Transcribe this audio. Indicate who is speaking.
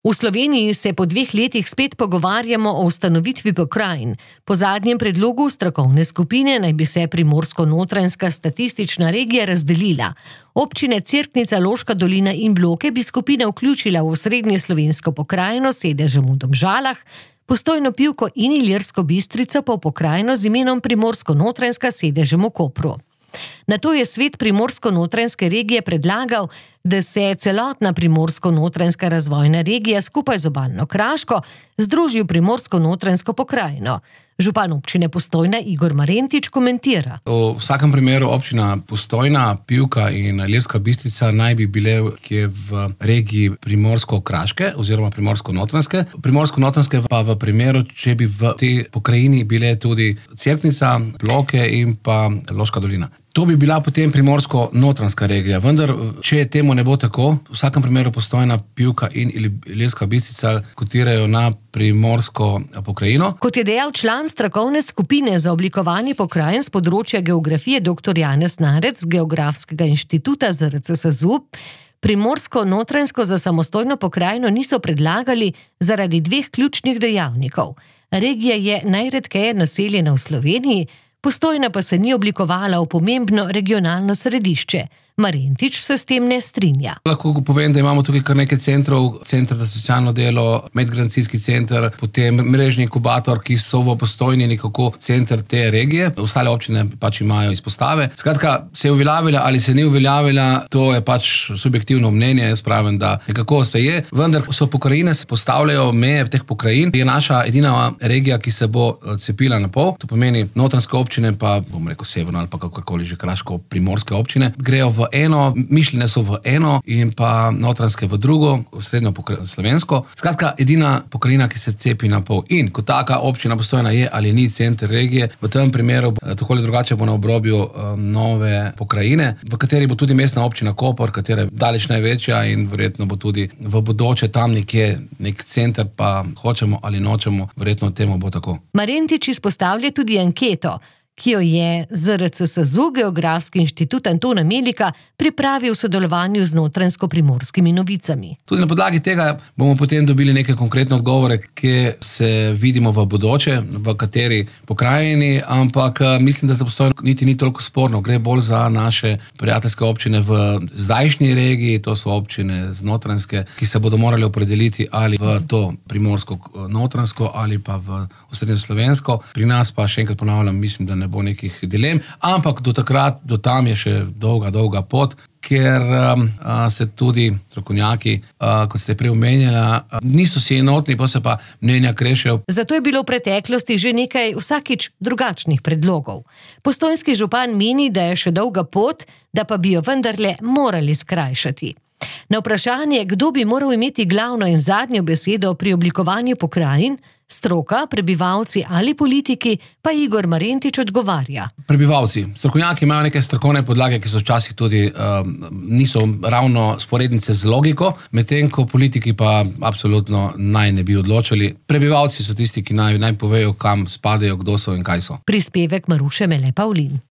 Speaker 1: V Sloveniji se po 2 letih spet pogovarjamo o ustanovitvi pokrajin. Po zadnjem predlogu strokovne skupine naj bi se Primorsko-notranjska statistična regija razdelila. Občine Cerknica, Loška dolina in Bloke bi skupina vključila v osrednje slovensko pokrajino s sedežem v Domžalah, Postojno Pivko in Ilirsko Bistrico pa v pokrajino z imenom Primorsko-notranjska s sedežem v Kopru. Nato je svet Primorsko-notranjske regije predlagal, da se celotna Primorsko-notranjska razvojna regija skupaj z obalno Kraško združi v Primorsko-notranjsko pokrajino. Župan občine Postojna Igor Marentič komentira.
Speaker 2: V vsakem primeru občina Postojna, Pivka in Ilirska Bistrica naj bi bile v regiji Primorsko-kraške oziroma Primorsko-notranjske. Primorsko-notranjske pa v primeru, če bi v tej pokrajini bile tudi Cerknica, Bloke in pa Loška dolina. To bi bila potem Primorsko-notranjska regija, vendar če temu ne bo tako, v vsakem primeru Postojna, Pivka in Ilirska Bistrica kotirajo na primorsko pokrajino.
Speaker 1: Kot je dejal član strokovne skupine za oblikovanje pokrajin z področja geografije dr. Janez Narec z Geografskega inštituta ZRC SAZU, Primorsko-notranjsko za samostojno pokrajino niso predlagali zaradi 2 ključnih dejavnikov. Regija je najredkeje naseljena v Sloveniji, Postojna pa se ni oblikovala v pomembno regionalno središče. Marentič se s tem ne strinja.
Speaker 2: Lahko povem, da imamo tukaj kar nekaj centrov, Center za socialno delo, medgeneracijski center, potem mrežni inkubator, ki so v Postojni nekako center te regije. Ostale občine pač imajo izpostave. Skratka, se je uveljavila ali se ni uveljavila, to je pač subjektivno mnenje, jaz pravim, da nekako se je. Vendar so pokrajine, se postavljajo meje teh pokrajin. Je naša edina regija, ki se bo cepila na pol. To pomeni notranjske občine, pa bom rekel severno ali pa kakorkoli že kraško-primorske občine, grejo v eno, mišljene so v eno in pa notranjske v drugo, v srednjo slovensko. Skratka, edina pokrajina, ki se cepi na pol. In ko taka občina Postojna je ali ni center regije, v tem primeru tako ali drugače bo na obrobju nove pokrajine, v kateri bo tudi mestna občina Koper, katera je daleč največja in verjetno bo tudi v bodoče tam nekje nek center, pa hočemo ali nočemo, verjetno temu bo tako.
Speaker 1: Marentič izpostavlja tudi anketo, ki jo je ZRC SAZU, Geografski inštitut Antona Melika, pripravil v sodelovanju z Notranjsko-primorskimi novicami.
Speaker 2: Tudi na podlagi tega bomo potem dobili neke konkretne odgovore, kje se vidimo v bodoče, v kateri pokrajini, ampak mislim, da za Postojno niti ni toliko sporno. Gre bolj za naše prijateljske občine v zdajšnji regiji, to so občine z Notranjske, ki se bodo morali opredeliti ali v to Primorsko-notranjsko ali pa v osrednjo slovensko. Pri nas pa še enkrat ponavljam, mislim, da ne bo nekih dilem, ampak do takrat, do tam je še dolga pot, ker se tudi strokovnjaki, kot ste prej omenjala, niso si enotni, pa se pa mnenja krešejo.
Speaker 1: Zato je bilo v preteklosti že nekaj vsakič drugačnih predlogov. Postojnski župan meni, da je še dolga pot, da pa bi jo vendarle morali skrajšati. Na vprašanje, kdo bi moral imeti glavno in zadnjo besedo pri oblikovanju pokrajin, stroka, prebivalci ali politiki, pa Igor Marentič odgovarja.
Speaker 2: Prebivalci. Strokovnjaki imajo neke strokovne podlage, ki so včasih tudi niso ravno sporednice z logiko, medtem ko politiki pa absolutno naj ne bi odločili. Prebivalci so tisti, ki naj povejo, kam spadajo, kdo so in kaj so.
Speaker 1: Prispevek Maruše Mele Pavlin.